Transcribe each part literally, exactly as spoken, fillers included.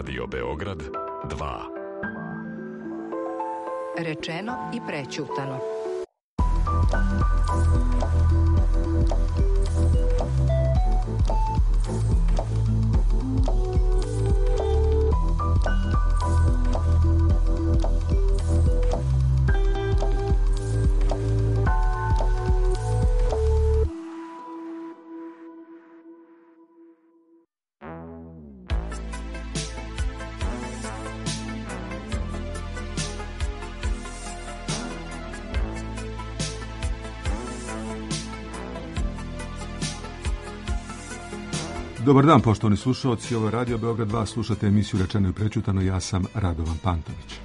Radio Beograd dva. Rečeno i prećutano. Dobar dan, poštovani slušalci, ovo je Radio Beograd dva, slušate emisiju Rečeno i prećutano, ja sam Radovan Pantović.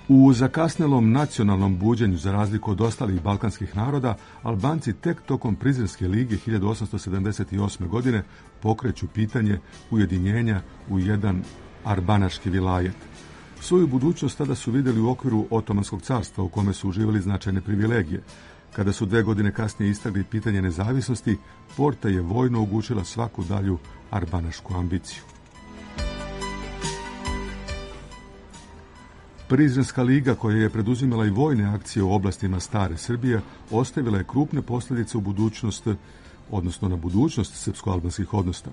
U zakasnelom nacionalnom buđenju, za razliku od ostalih balkanskih naroda, Albanci tek tokom Prizrenske lige hiljadu osamsto sedamdeset osme. godine pokreću pitanje ujedinjenja u jedan arbanaški vilajet. Svoju budućnost tada su vidjeli u okviru Otomanskog carstva, u kome su uživali značajne privilegije. Kada su dve godine kasnije istakli pitanje nezavisnosti, Porta je vojno ugušila svaku dalju arbanašku ambiciju. Prizrenska liga, koja je preduzimala i vojne akcije u oblastima stare Srbije, ostavila je krupne posljedice u budućnost, odnosno na budućnost srpsko-albanskih odnosa.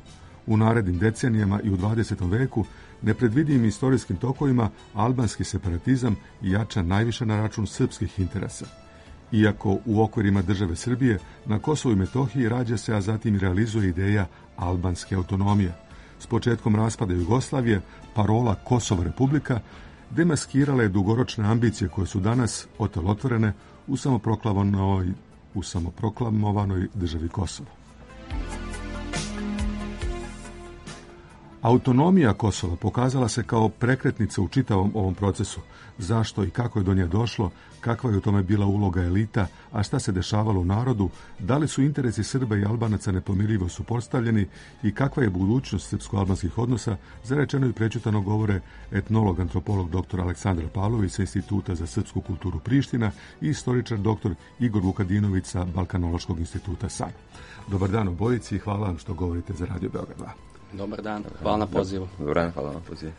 U narednim decenijama i u dvadesetom veku nepredvidivim istorijskim tokovima albanski separatizam jača najviše na račun srpskih interesa. Iako u okvirima države Srbije na Kosovu i Metohiji rađa se, a zatim realizuje ideja albanske autonomije. S početkom raspada Jugoslavije, parola Kosovo Republika demaskirala je dugoročne ambicije koje su danas otelotvorene u samoproklamovanoj, u samoproklamovanoj državi Kosovo. Autonomija Kosova pokazala se kao prekretnica u čitavom ovom procesu. Zašto i kako je do nje došlo, kakva je u tome bila uloga elita, a šta se dešavalo u narodu, da li su interesi Srba i Albanaca nepomirljivo suprotstavljeni i kakva je budućnost srpsko-albanskih odnosa, za Rečeno i prećutano govore etnolog, antropolog dr. Aleksandar Pavlović sa Instituta za srpsku kulturu Priština i istoričar dr. Igor Vukadinović sa Balkanološkog instituta S A N. Dobar dan obojici i hvala vam što govorite za Radio Beograd dva. Dobar dan, hvala na pozivu. Dobar dan, hvala na pozivu.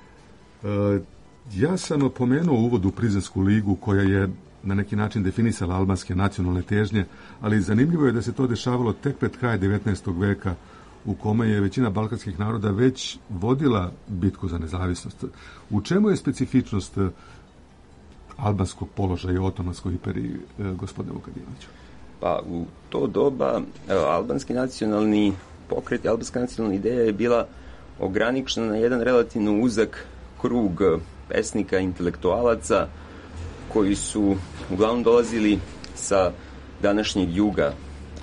E, ja sam pomenuo u uvodu Prizrensku ligu, koja je na neki način definisala albanske nacionalne težnje, ali zanimljivo je da se to dešavalo tek pred kraj devetnaestog veka, u kome je većina balkanskih naroda već vodila bitku za nezavisnost. U čemu je specifičnost albanskog položaja u Otomanskoj imperiji, gospodine Vukadinoviću? Pa u to doba evo, albanski nacionalni pokret, albanska nacionalna ideja je bila ograničena na jedan relativno uzak krug pesnika, intelektualaca koji su uglavnom dolazili sa današnjeg juga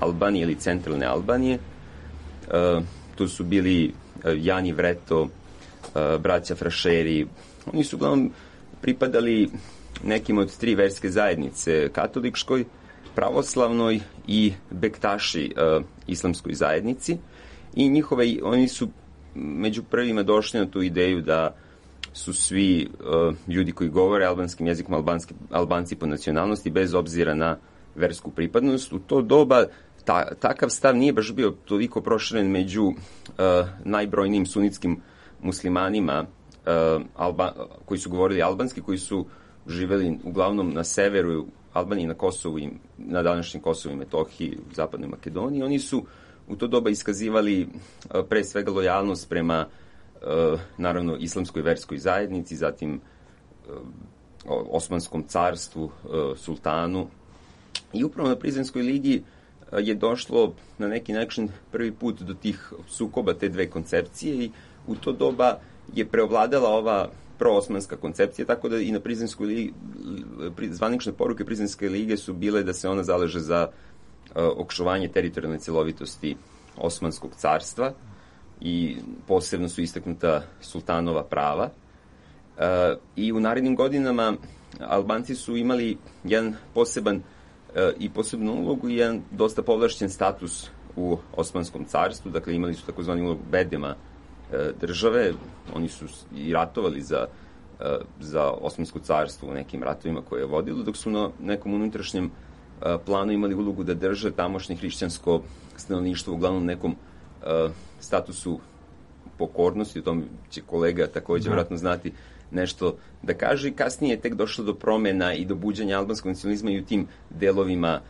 Albanije ili centralne Albanije. E, tu su bili Jani Vreto, e, braća Frašeri. Oni su uglavnom pripadali nekim od tri verske zajednice, katoličkoj, pravoslavnoj i bektaši e, islamskoj zajednici. I njihove, oni su među prvima došli na tu ideju da su svi uh, ljudi koji govore albanskim jezikom albanski, Albanci po nacionalnosti, bez obzira na versku pripadnost. U to doba ta, takav stav nije baš bio toliko proširen među uh, najbrojnijim sunitskim muslimanima uh, Alba, koji su govorili albanski, koji su živeli uglavnom na severu Albanije, na Kosovu i na današnjem Kosovu i Metohiji, u zapadnoj Makedoniji. Oni su u to doba iskazivali uh, pre svega lojalnost prema uh, naravno islamskoj verskoj zajednici, zatim uh, Osmanskom carstvu, uh, sultanu. I upravo na Prizrenskoj ligi uh, je došlo na neki način prvi put do tih sukoba te dve koncepcije i u to doba je preovladala ova proosmanska koncepcija, tako da i na Prizrenskoj ligi zvanične poruke Prizrenske lige su bile da se ona zaleže za očuvanje teritorijalne celovitosti Osmanskog carstva i posebno su istaknuta sultanova prava. E, I u narednim godinama Albanci su imali jedan poseban e, i posebnu ulogu i jedan dosta povlašćen status u Osmanskom carstvu, dakle imali su takozvani ulogu bedema e, države, oni su i ratovali za, e, za Osmansko carstvo u nekim ratovima koje je vodilo, dok su na nekom unutrašnjem planu imali ulogu da drže tamošnje hrišćansko stanovništvo uglavnom nekom uh, statusu pokornosti, o tom će kolega također da. vjerojatno znati nešto da kaže, i kasnije je tek došlo do promjena i do buđenja albanskog nacionalizma i u tim delovima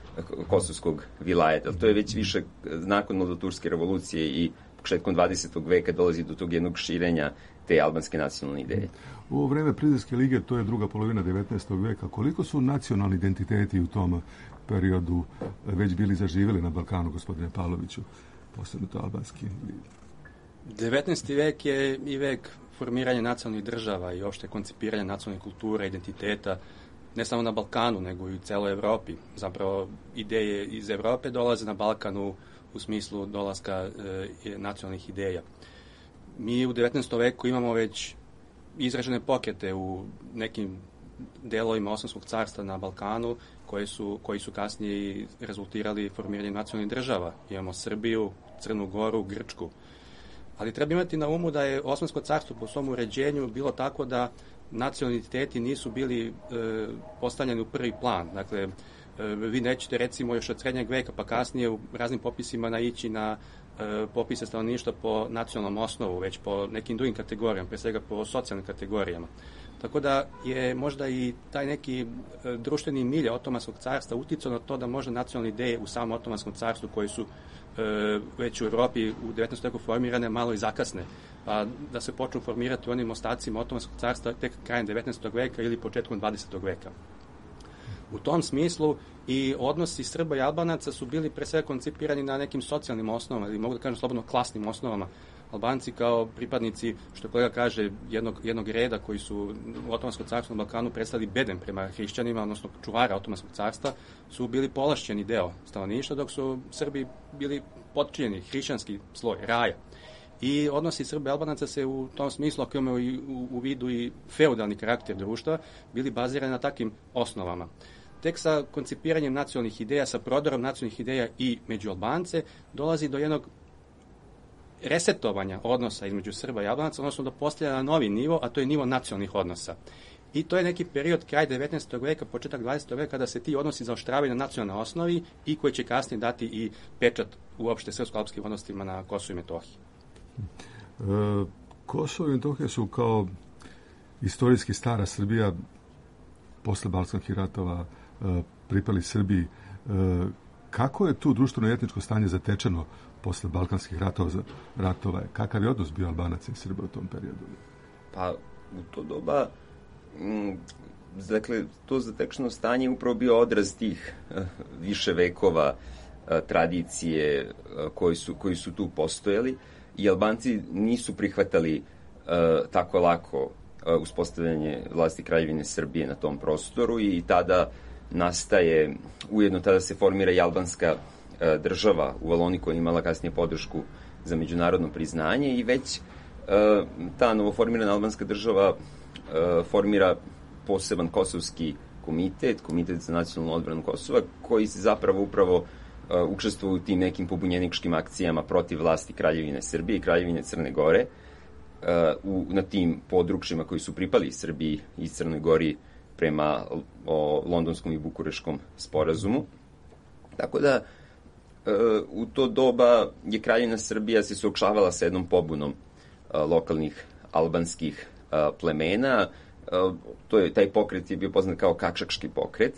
kosovskog vilajeta. To je već više nakon Mladoturske revolucije i početkom dvadesetog veka dolazi do tog jednog širenja te albanske nacionalne ideje. U ovo vreme Prizrenske lige, to je druga polovina devetnaestog veka, koliko su nacionalni identiteti u tom periodu već bili zaživjeli na Balkanu, gospodine Pavloviću, posebno to albanski? devetnaesti vek je i vek formiranja nacionalnih država i opšte koncipiranja nacionalne kulture, identiteta, ne samo na Balkanu, nego i u celoj Evropi. Zapravo, ideje iz Evrope dolaze na Balkanu u smislu dolaska e, nacionalnih ideja. Mi u devetnaestom veku imamo već izražene pokrete u nekim delovima Osmanskog carstva na Balkanu koji su, koji su kasnije rezultirali formiranjem nacionalnih država. Imamo Srbiju, Crnu Goru, Grčku. Ali treba imati na umu da je Osmansko carstvo po svom uređenju bilo tako da nacionalni identiteti nisu bili e, postavljeni u prvi plan. Dakle, e, vi nećete recimo još od srednjeg veka pa kasnije u raznim popisima naići na e, popise stanovništva po nacionalnom osnovu, već po nekim drugim kategorijama, pre svega po socijalnim kategorijama. Tako da je možda i taj neki e, društveni milje Otomanskog carstva uticao na to da možda nacionalne ideje u samom Otomanskom carstvu koji su e, već u Europi u devetnaestom veku formirane malo i zakasne, pa da se počnu formirati u onim ostacima Otomanskog carstva tek krajem devetnaestog veka ili početkom dvadesetog veka. U tom smislu i odnosi Srba i Albanaca su bili pre svega koncipirani na nekim socijalnim osnovama, ili mogu da kažem slobodno klasnim osnovama. Albanci kao pripadnici, što kolega kaže, jednog, jednog reda koji su u Otomanskom carstvu na Balkanu predstavili bedem prema hrišćanima, odnosno čuvara Otomanskog carstva, su bili povlašćeni deo stanovništva, dok su Srbi bili potčinjeni, hrišćanski sloj, raja. I odnosi Srba i Albanaca se u tom smislu, ako imaju i u, u vidu i feudalni karakter društva, bili bazirani na takvim osnovama. Tek sa koncipiranjem nacionalnih ideja, sa prodorom nacionalnih ideja i među Albance, dolazi do jednog resetovanja odnosa između Srba i Albanaca, odnosno do postavljanja na novi nivo, a to je nivo nacionalnih odnosa. I to je neki period kraj devetnaestog veka, početak dvadesetog veka, kada se ti odnosi zaoštravaju na nacionalnoj osnovi i koji će kasnije dati i pečat uopšte srpsko-alpskim odnosima na Kosovu i Metohiji. E, Kosovo i Metohija su kao istorijski stara Srbija posle balkanskih ratova e, pripali Srbiji. E, kako je tu društveno i etničko stanje zatečeno posle balkanskih ratova, ratova? Kakav je odnos bio Albanaca i Srba u tom periodu? Pa u to doba m, dakle, to zatečeno stanje je upravo bio odraz tih uh, više vekova uh, tradicije uh, koji, su, koji su tu postojali i Albanci nisu prihvatali uh, tako lako uh, uspostavljanje vlasti Kraljevine Srbije na tom prostoru i tada nastaje, ujedno tada se formira i albanska uh, država u Valoni koja je imala kasnije podršku za međunarodno priznanje i već uh, ta novoformirana albanska država uh, formira poseban kosovski komitet, komitet za nacionalnu odbranu Kosova, koji se zapravo upravo uh, učestvuje u tim nekim pobunjeničkim akcijama protiv vlasti Kraljevine Srbije i Kraljevine Crne Gore uh, u, na tim područjima koji su pripali Srbiji i Crnoj Gori prema o londonskom i bukureškom sporazumu. Tako da uh, u to doba je Kraljevina Srbija se suočavala sa jednom pobunom uh, lokalnih albanskih uh, plemena. Uh, to je, taj pokret je bio poznat kao Kakšakški pokret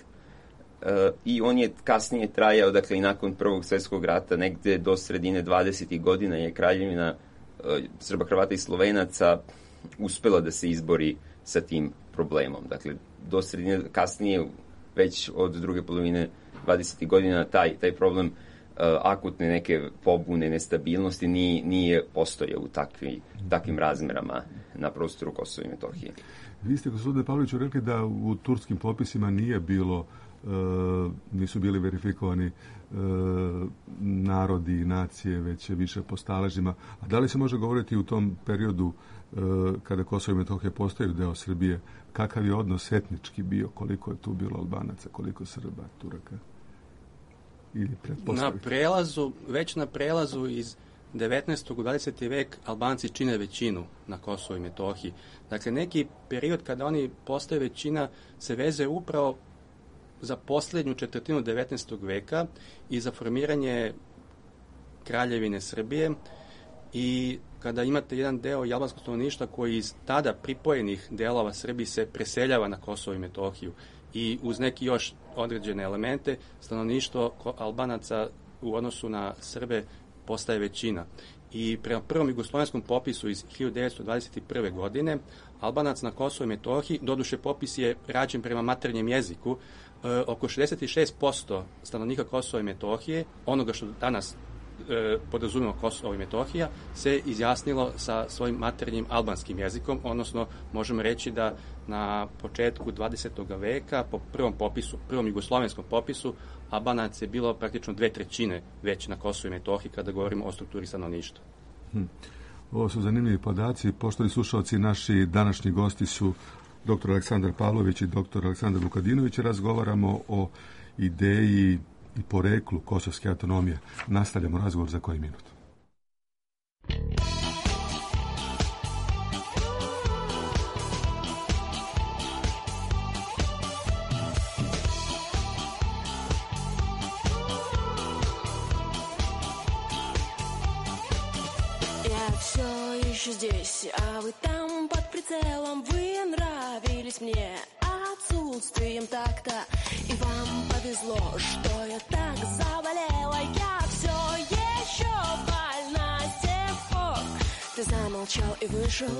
uh, i on je kasnije trajao, dakle i nakon Prvog svjetskog rata, negde do sredine dvadesetih godina je Kraljevina uh, Srba, Hrvata i Slovenaca uspela da se izbori sa tim problemom. Dakle, do sredine, kasnije, već od druge polovine dvadesetih godina, taj, taj problem uh, akutne neke pobune, nestabilnosti nije, nije postojao u takvi, takvim razmerama na prostoru Kosova i Metohije. Vi ste, gospodine Pavloviću, rekli da u turskim popisima nije bilo, e, nisu bili verifikovani e, narodi i nacije, već više po staležima. A da li se može govoriti u tom periodu e, kada Kosovo i Metohija postaju deo Srbije, kakav je odnos etnički bio, koliko je tu bilo Albanaca, koliko Srba, Turaka? Ili na prelazu, već na prelazu iz devetnaestog u dvadeseti vek Albanci čine većinu na Kosovu i Metohiji. Dakle, neki period kada oni postaju većina se veze upravo za posljednju četvrtinu devetnaestog veka i za formiranje Kraljevine Srbije i kada imate jedan deo i albanskog stanovništva koji iz tada pripojenih delova Srbije se preseljava na Kosovo i Metohiju i uz neki još određene elemente stanovništvo Albanaca u odnosu na Srbe postaje većina. I prema prvom jugoslovenskom popisu iz hiljadu devetsto dvadeset prve. godine Albanac na Kosovo i Metohiji, doduše popis je rađen prema maternjem jeziku, e, oko šezdeset šest posto stanovnika Kosova i Metohije, onoga što danas e, podrazumemo Kosovo i Metohija, se izjasnilo sa svojim maternjim albanskim jezikom, odnosno možemo reći da na početku dvadesetog veka, po prvom popisu, prvom jugoslovenskom popisu, Albanac je bilo praktično dve trećine već na Kosovo i Metohiji kada govorimo o strukturi stanovništva. Hm. Ovo su zanimljivi podaci. Poštovani slušalci, naši današnji gosti su doktor Aleksandar Pavlović i doktor Aleksandar Vukadinović. Razgovaramo o ideji i poreklu kosovske autonomije. Nastavljamo razgovor za koji minut. Здесь, а вы там под прицелом. Вы нравились мне отсутствием такта. И вам повезло, что я так заболела. Я все еще больна с тех пор. Ты замолчал и вышел.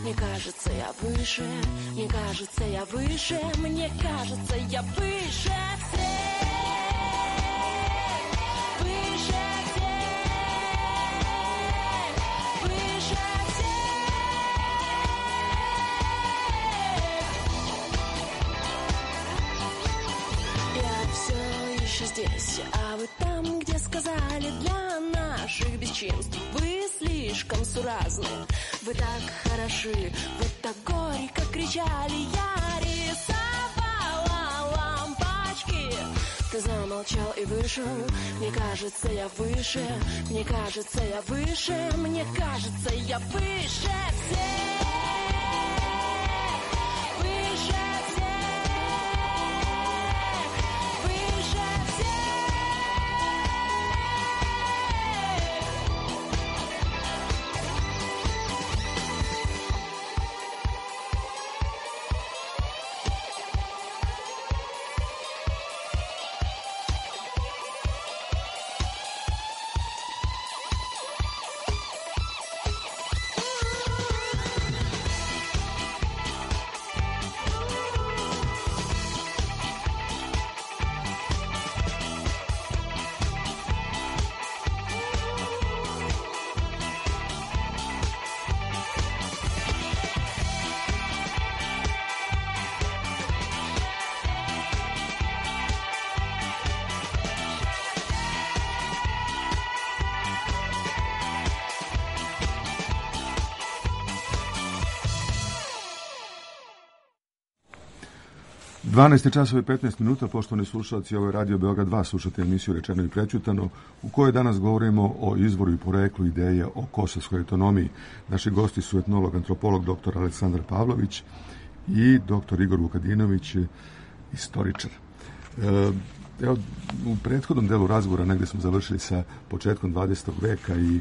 Мне кажется, я выше. Мне кажется, я выше. Мне кажется, я выше всех. Здесь, а вы там, где сказали для наших бесчинств вы слишком суразны, вы так хороши, вы так горько кричали, я рисовала лампочки. Ты замолчал и вышел, мне кажется, я выше, мне кажется, я выше, мне кажется, я выше всех. dvanaest časova i petnaest minuta, poštovani slušalci, ovo je Radio Beograd dva, slušate emisiju Rečeno i prećutano, u kojoj danas govorimo o izvoru i poreklu ideje o kosovskoj autonomiji. Naši gosti su etnolog, antropolog doktor Aleksandar Pavlović i doktor Igor Vukadinović, istoričar. Evo, u prethodnom delu razgovora negdje smo završili sa početkom dvadesetog veka i e,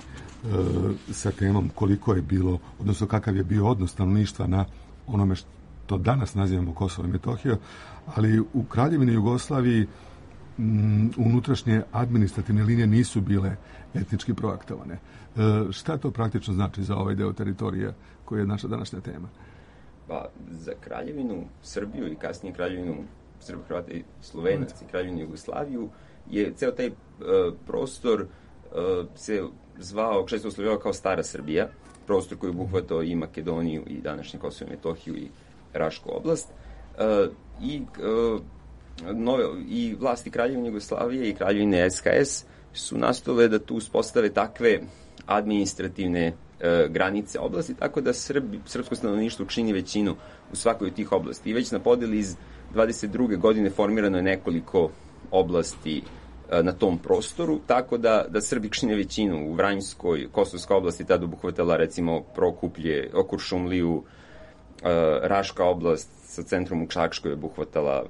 sa temom koliko je bilo, odnosno kakav je bio odnos stanovništva na onome što to danas nazivamo Kosovo i Metohija, ali u Kraljevini Jugoslaviji m, unutrašnje administrativne linije nisu bile etnički projektovane. E, šta to praktično znači za ovaj deo teritorija koji je naša današnja tema? Pa, za Kraljevinu Srbiju i kasnije Kraljevinu Srba, Hrvata i Slovenac i Kraljevinu Jugoslaviju je ceo taj uh, prostor uh, se zvao, često oslovljavao kao Stara Srbija, prostor koji obuhvatao i Makedoniju i današnje Kosovo i Metohiju i Rašku oblast. Uh, i, uh, nove, I vlasti Kraljevine Jugoslavije i Kraljevine S H S su nastojale da tu uspostave takve administrativne uh, granice oblasti, tako da Srbi, srpsko stanovništvo čini većinu u svakoj od tih oblasti. I već na podeli iz dvadeset druge godine formirano je nekoliko oblasti uh, na tom prostoru, tako da, da Srbi čine većinu. U Vranjskoj, Kosovska oblasti tada obuhvatala recimo Prokuplje, Kuršumliju, Uh, Raška oblast sa centrom u Čakškoj obuhvatala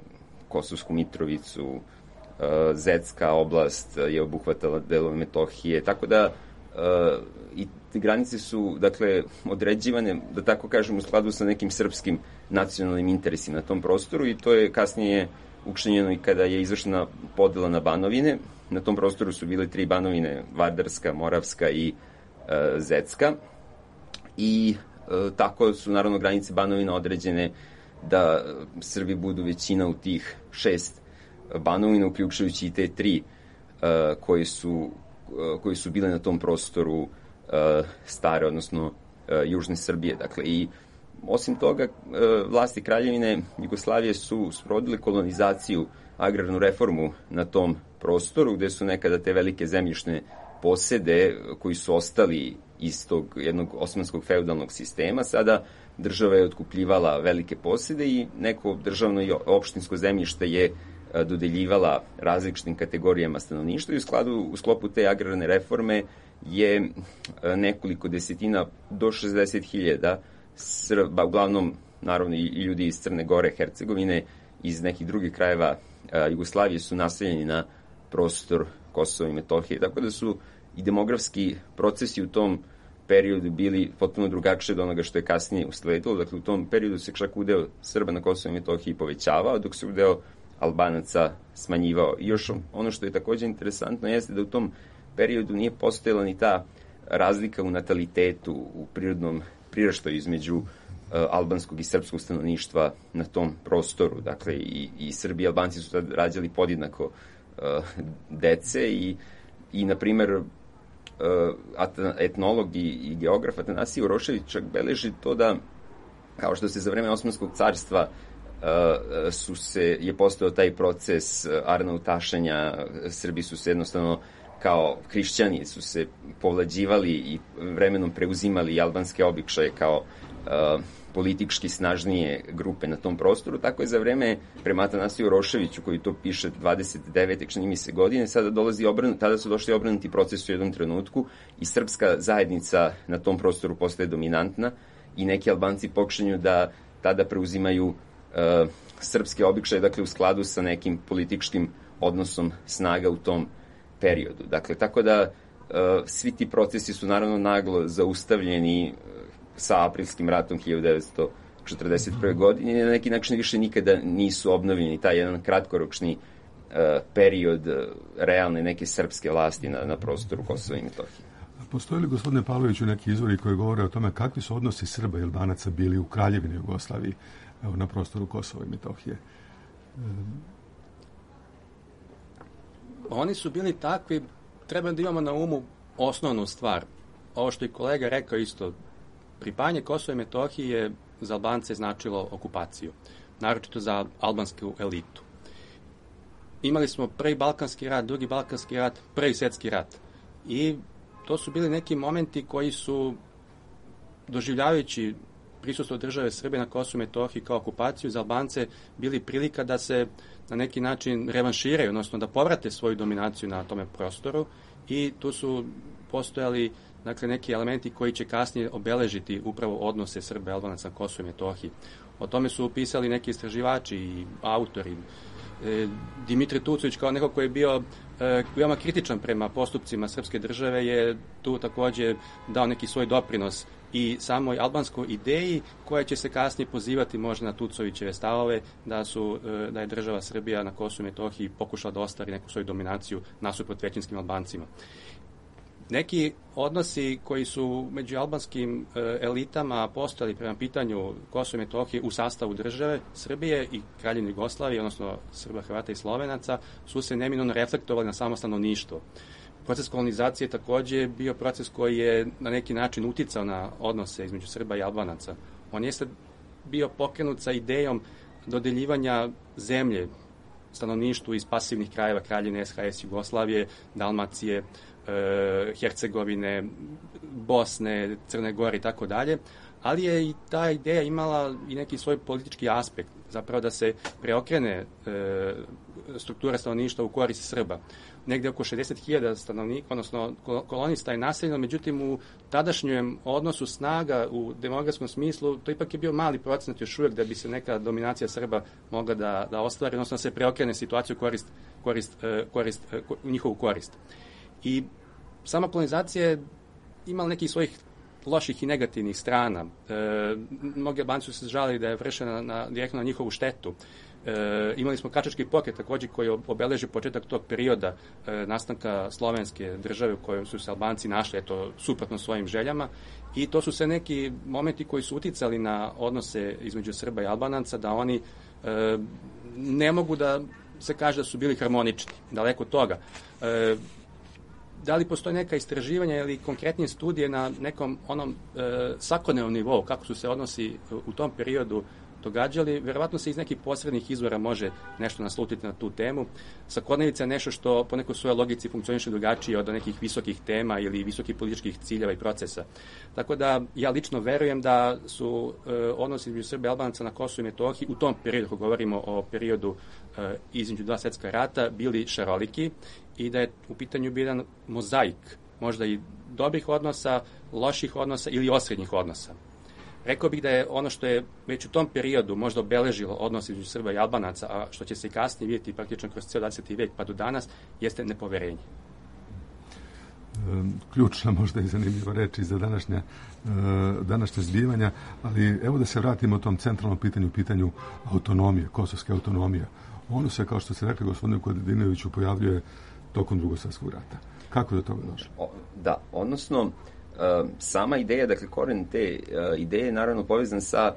Kosovsku Mitrovicu, uh, Zetska oblast je obuhvatala delove Metohije, tako da uh, i te granice su, dakle, određivane, da tako kažem, u skladu sa nekim srpskim nacionalnim interesima na tom prostoru i to je kasnije učinjeno i kada je izvršena podela na banovine. Na tom prostoru su bile tri banovine, Vardarska, Moravska i e, Zecka. I e, tako su, naravno, granice banovina određene da Srbi budu većina u tih šest banovina, uključujući i te tri e, koje su, e, koje su bile na tom prostoru e, stare, odnosno e, južne Srbije. Dakle, i osim toga, e, vlasti Kraljevine Jugoslavije su sprovodile kolonizaciju, agrarnu reformu na tom prostoru, gde su nekada te velike zemljišne posede koji su ostali iz tog jednog osmanskog feudalnog sistema, sada država je otkupljivala velike posede i neko državno i opštinsko zemljište je dodeljivala različitim kategorijama stanovništva i u skladu, u sklopu te agrarne reforme je nekoliko desetina do šezdeset hiljada Srba, uglavnom naravno i ljudi iz Crne Gore, Hercegovine, iz nekih drugih krajeva Jugoslavije su naseljeni na prostor Kosova i Metohije. Tako da su i demografski procesi u tom periodu bili potpuno drugačije od onoga što je kasnije usledilo. Dakle, u tom periodu se čak udeo Srba na Kosovu i Metohiji povećavao, dok se udeo Albanaca smanjivao. I još ono što je takođe interesantno jeste da u tom periodu nije postojala ni ta razlika u natalitetu, u prirodnom priraštaju između uh, albanskog i srpskog stanovništva na tom prostoru. Dakle, i, i Srbi i Albanci su tad rađali podjednako uh, dece i, i na primer, uh, etnolog i, i geograf Atanasije Urošević čak beleži to da, kao što se za vreme Osmanskog carstva uh, su se, je postojao taj proces uh, arnautašenja, Srbi su se jednostavno kao hrišćani su se povlađivali i vremenom preuzimali albanske običaje kao uh, politički snažnije grupe na tom prostoru, tako je za vreme prema Atanasiju Roševiću, koji to piše dvadeset devete čini mi se godine, sada dolazi obrnut, tada su došli obrnuti procesi u jednom trenutku i srpska zajednica na tom prostoru postaje dominantna i neki Albanci počinju da tada preuzimaju uh, srpske običaje, dakle u skladu sa nekim političkim odnosom snaga u tom periodu. Dakle, tako da uh, svi ti procesi su naravno naglo zaustavljeni uh, sa aprilskim ratom hiljadu devetsto četrdeset prve. godine i na neki način više nikada nisu obnovljeni taj jedan kratkoročni uh, period uh, realne neke srpske vlasti na, na prostoru Kosova i Metohije. Postoji li, gospodine Pavloviću, neki izvori koji govore o tome kakvi su odnosi Srba i Albanaca bili u Kraljevini Jugoslaviji, evo, na prostoru Kosova i Metohije? Um, Oni su bili takvi, treba da imamo na umu osnovnu stvar. Ovo što je kolega rekao isto, pripajanje Kosova i Metohije za Albance značilo okupaciju, naročito za albansku elitu. Imali smo prvi Balkanski rat, drugi Balkanski rat, prvi svjetski rat. I to su bili neki momenti koji su, doživljavajući prisustvo države Srbije na Kosovu i Metohiji kao okupaciju, za Albance bili prilika da se na neki način revanširaju, odnosno da povrate svoju dominaciju na tome prostoru i tu su postojali, dakle, neki elementi koji će kasnije obeležiti upravo odnose Srba i Albanaca na Kosovu i Metohiji. O tome su pisali neki istraživači i autori. E, Dimitri Tucović, kao neko koji je bio e, veoma kritičan prema postupcima srpske države, je tu takođe dao neki svoj doprinos i samoj albanskoj ideji koja će se kasnije pozivati možda na Tucovićeve stavove da su da je država Srbija na Kosovu i Metohiji pokušala da ostvari neku svoju dominaciju nasuprot većinskim Albancima. Neki odnosi koji su među albanskim elitama postojali prema pitanju Kosova i Metohije u sastavu države Srbije i Kraljevine Jugoslavije, odnosno Srba, Hrvata i Slovenaca, su se neminovno reflektovali na samo stanovništvo. Proces kolonizacije je takođe bio proces koji je na neki način uticao na odnose između Srba i Albanaca. On jeste bio pokrenut sa idejom dodeljivanja zemlje stanovništvu iz pasivnih krajeva Kraljevine, S H S Jugoslavije, Dalmacije, e, Hercegovine, Bosne, Crne Gore i tako dalje, ali je i ta ideja imala i neki svoj politički aspekt, zapravo da se preokrene e, struktura stanovništva u korist Srba. Negde oko šezdeset hiljada stanovnika, odnosno kolonista je naseljeno, međutim u tadašnjem odnosu snaga u demografskom smislu to ipak je bio mali procenat još uvijek da bi se neka dominacija Srba mogla da, da ostvari, odnosno da se preokrene situaciju korist, korist, korist, u njihovu korist. I sama kolonizacija je imala nekih svojih loših i negativnih strana. E, mnogi Albanci su se žalili da je vršena na, direktno na njihovu štetu. E, imali smo Kačački pokret također koji obeleži početak tog perioda e, nastanka slovenske države u kojoj su se Albanci našli, eto, suprotno svojim željama, i to su sve neki momenti koji su uticali na odnose između Srba i Albanaca, da oni e, ne mogu da se kaže da su bili harmonični, daleko od toga. E, da li postoje neka istraživanja ili konkretnije studije na nekom onom e, svakodnevnom nivou, kako su se odnosi u tom periodu događali? Verovatno se iz nekih posrednih izvora može nešto naslutiti na tu temu. Svakodnevica je nešto što po nekoj svojoj logici funkcioniše drugačije od nekih visokih tema ili visokih političkih ciljeva i procesa. Tako da ja lično verujem da su e, odnosi između Srba i Albanaca na Kosovu i Metohiji u tom periodu, ako govorimo o periodu e, između dva svjetska rata, bili šaroliki i da je u pitanju bio jedan mozaik, možda i dobrih odnosa, loših odnosa ili osrednjih odnosa. Rekao bih da je ono što je već u tom periodu možda obeležilo odnos između Srba i Albanaca, a što će se i kasnije vidjeti praktično kroz cijeli dvadeseti vijek pa do danas, jeste nepoverenje. Ključna možda i zanimljiva reč za današnja, današnje zbivanja, ali evo da se vratimo tom centralnom pitanju, pitanju autonomije, kosovske autonomije. Ono se, kao što ste rekli, gospodinu Kostadinoviću, pojavljuje tokom Drugog svjetskog rata. Kako je do toga došlo? Da, odnosno, sama ideja, dakle, koren te ideje je naravno povezan sa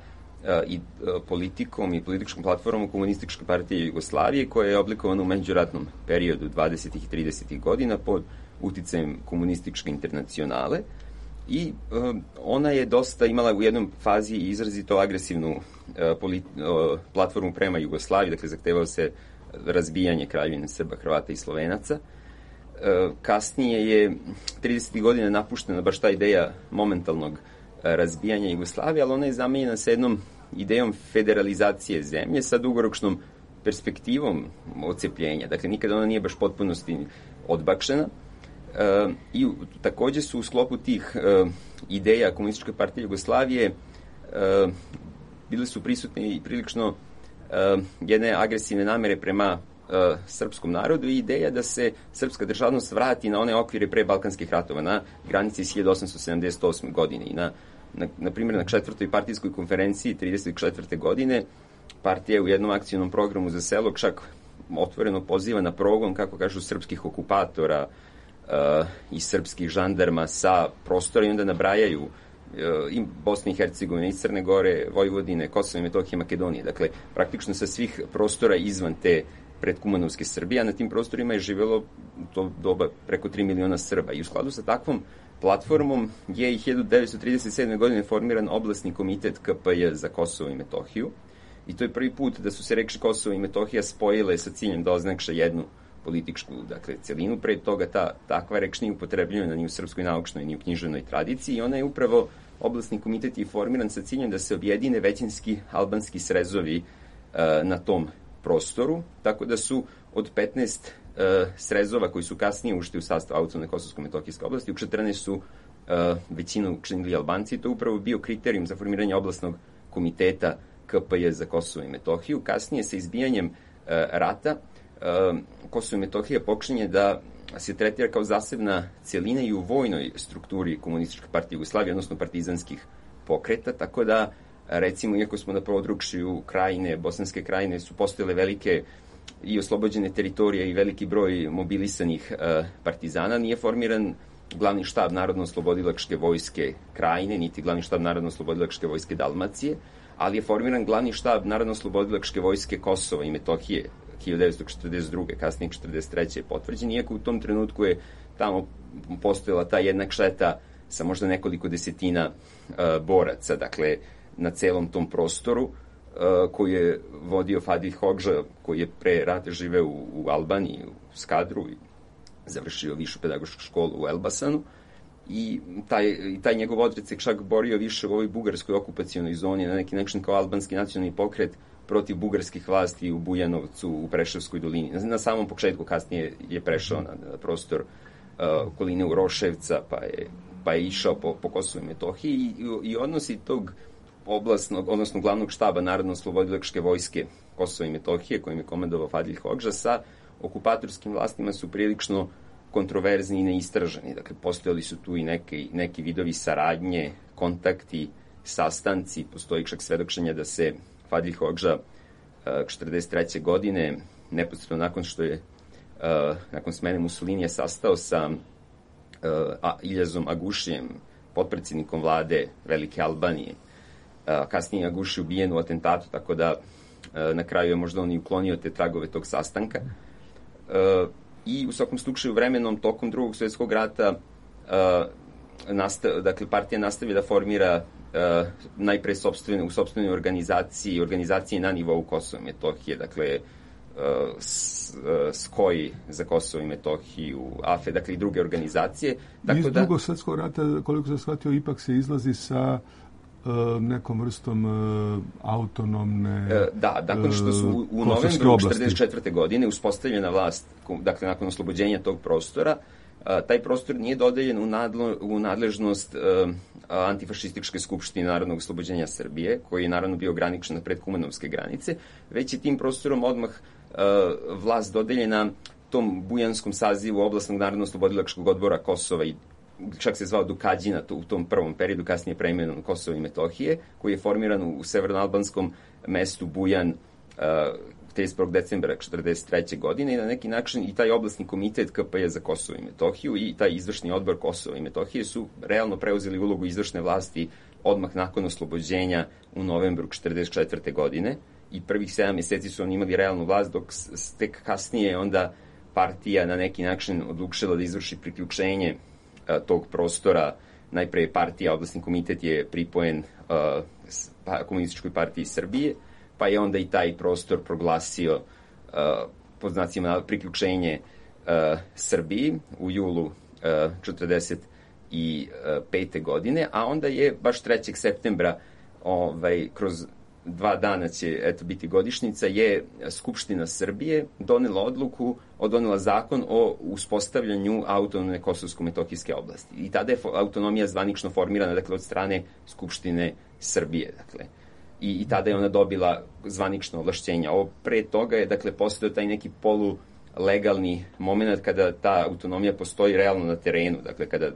i politikom i političkom platformom Komunističke partije Jugoslavije, koja je oblikovana u međuratnom periodu dvadesetih i tridesetih godina pod uticajem Komunističke internacionale, i ona je dosta imala u jednom fazi izrazito agresivnu platformu prema Jugoslaviji, dakle zahtevao se razbijanje Kraljevine Srba, Hrvata i Slovenaca. Kasnije je tridesetih godina napuštena baš ta ideja momentalnog razbijanja Jugoslavije, ali ona je zamenjena sa jednom idejom federalizacije zemlje sa dugoročnom perspektivom odcepljenja. Dakle, nikada ona nije baš potpunosti odbakšena. E, I također su u sklopu tih e, ideja Komunističke partije Jugoslavije e, bile su prisutne i prilično e, jedne agresivne namere prema e, srpskom narodu i ideja da se srpska državnost vrati na one okvire pre Balkanskih ratova, na granici iz hiljadu osamsto sedamdeset osme. godine. I na, na, na primjer, na četvrtoj partijskoj konferenciji trideset četvrte. godine partija u jednom akcijnom programu za selo čak otvoreno poziva na progon, kako kažu, srpskih okupatora uh, i srpskih žandarma sa prostora, i onda nabrajaju uh, i Bosne i Hercegovine, i Crne Gore, Vojvodine, Kosova i Metohije, Makedonije. Dakle, praktično sa svih prostora izvan te predkumanovske Srbije, a na tim prostorima je živjelo u to doba preko tri miliona Srba. I u skladu sa takvom platformom je i hiljadu devetsto trideset sedme. godine formiran oblasni komitet K P J za Kosovo i Metohiju. I to je prvi put da su se reči Kosovo i Metohija spojile sa ciljem da oznakše jednu političku, dakle, celinu. Pre toga ta takva reč nije upotrebljena ni u srpskoj naučnoj, ni u književnoj tradiciji, i ona je upravo, oblasni komitet je formiran sa ciljem da se objedine većinski albanski srezovi uh, na tom prostoru, tako da su od petnaest uh, srezova koji su kasnije ušli u sastav autonomne kosovsko-metohijske oblasti, u četrnaest su uh, većinu učinili Albanci. To je upravo bio kriterijum za formiranje oblasnog komiteta K P J za Kosovo i Metohiju. Kasnije, sa izbijanjem uh, rata, uh, Kosovo i Metohija počinje da se tretira kao zasebna celina i u vojnoj strukturi Komunističke partije Jugoslavije, odnosno partizanskih pokreta, tako da, recimo, iako smo na području Krajine, Bosanske Krajine, su postojale velike i oslobođene teritorije i veliki broj mobilisanih uh, partizana, nije formiran glavni štab Narodno-oslobodilačke vojske Krajine, niti glavni štab Narodno-oslobodilačke vojske Dalmacije, ali je formiran glavni štab Narodno-oslobodilačke vojske Kosova i Metohije hiljadu devetsto četrdeset druge. kasnije četrdeset treće je potvrđen, iako u tom trenutku je tamo postojala ta jedna kšeta sa možda nekoliko desetina uh, boraca, dakle, na celom tom prostoru, uh, koji je vodio Fadil Hoxha, koji je pre rata živeo u, u Albaniji, u Skadru, i završio višu pedagošku školu u Elbasanu. I taj, taj njegov odred se čak borio više u ovoj bugarskoj okupacionoj zoni, na neki način kao albanski nacionalni pokret protiv bugarskih vlasti u Bujanovcu, u Preševskoj dolini. Na, na samom početku, kasnije je prešao na, na prostor uh, okoline Uroševca, pa je, pa je išao po, po Kosovu i Metohiji, i, i odnosi tog oblastnog, odnosno glavnog štaba Narodno-oslobodilačke vojske Kosova i Metohije, kojim je komandovao Fadil Hoxha, sa okupatorskim vlastima su prilično kontroverzni i neistraženi. Dakle, postojali su tu i neki, neki vidovi saradnje, kontakti, sastanci. Postoji čak svedočenja da se Fadil Hodža četrdeset treće godine, neposredno nakon što je uh, nakon smene Mussolinija sastao sa uh, Iljazom Agušijem, potpredsjednikom vlade Velike Albanije. Uh, kasnije Aguši ubijen u atentatu, tako da uh, na kraju je možda on i uklonio te tragove tog sastanka. Uh, I u svakom slučaju vremenom tokom drugog svjetskog rata uh, nastav, dakle, partija nastavi da formira Uh, najpre sopstvene, u sopstvenoj organizaciji, organizaciji na nivou Kosova i Metohije, dakle uh, s, uh, Skoj za Kosovo i Metohiju, A F E, dakle i druge organizacije. Tako iz da, drugog svjetskog rata, koliko sam shvatio, ipak se izlazi sa uh, nekom vrstom uh, autonomne uh, da, nakon što su u, u novembru četrdeset četvrte godine uspostavljena vlast, dakle nakon oslobođenja tog prostora, Uh, taj prostor nije dodeljen u, nadlo, u nadležnost uh, antifašističke skupštine Narodnog oslobođenja Srbije, koji je naravno bio graničan na predkumanovske granice, već je tim prostorom odmah uh, vlast dodeljena tom bujanskom sazivu Oblastnog narodno-oslobodilačkog odbora Kosova i čak se zvao Dukađina u tom prvom periodu, kasnije preimenovan Kosovo i Metohije, koji je formiran u severnoalbanskom mestu Bujan uh, trideset prvog decembra četrdeset treće godine i na neki način i taj oblastni komitet K P J za Kosovo i Metohiju i taj izvršni odbor Kosova i Metohije su realno preuzeli ulogu izvršne vlasti odmah nakon oslobođenja u novembru četrdeset četvrte godine i prvih sedam mjeseci su oni imali realnu vlast, dok tek kasnije onda partija na neki način odlučila da izvrši priključenje a, tog prostora. Najpre partija, oblastni komitet je pripojen a, pa, Komunističkoj partiji Srbije, pa je onda i taj prostor proglasio uh, pod znacima priključenje uh, Srbiji u julu uh, četrdeset pete godine, a onda je baš trećeg septembra ovaj, kroz dva dana će eto, biti godišnjica, je Skupština Srbije donela odluku, donela zakon o uspostavljanju autonomne kosovsko-metohijske oblasti. I tada je autonomija zvanično formirana, dakle, od strane Skupštine Srbije, dakle. I, i tada je ona dobila zvanično ovlašćenja. Ovo pre toga je, dakle, postojao taj neki polulegalni moment kada ta autonomija postoji realno na terenu, dakle, kada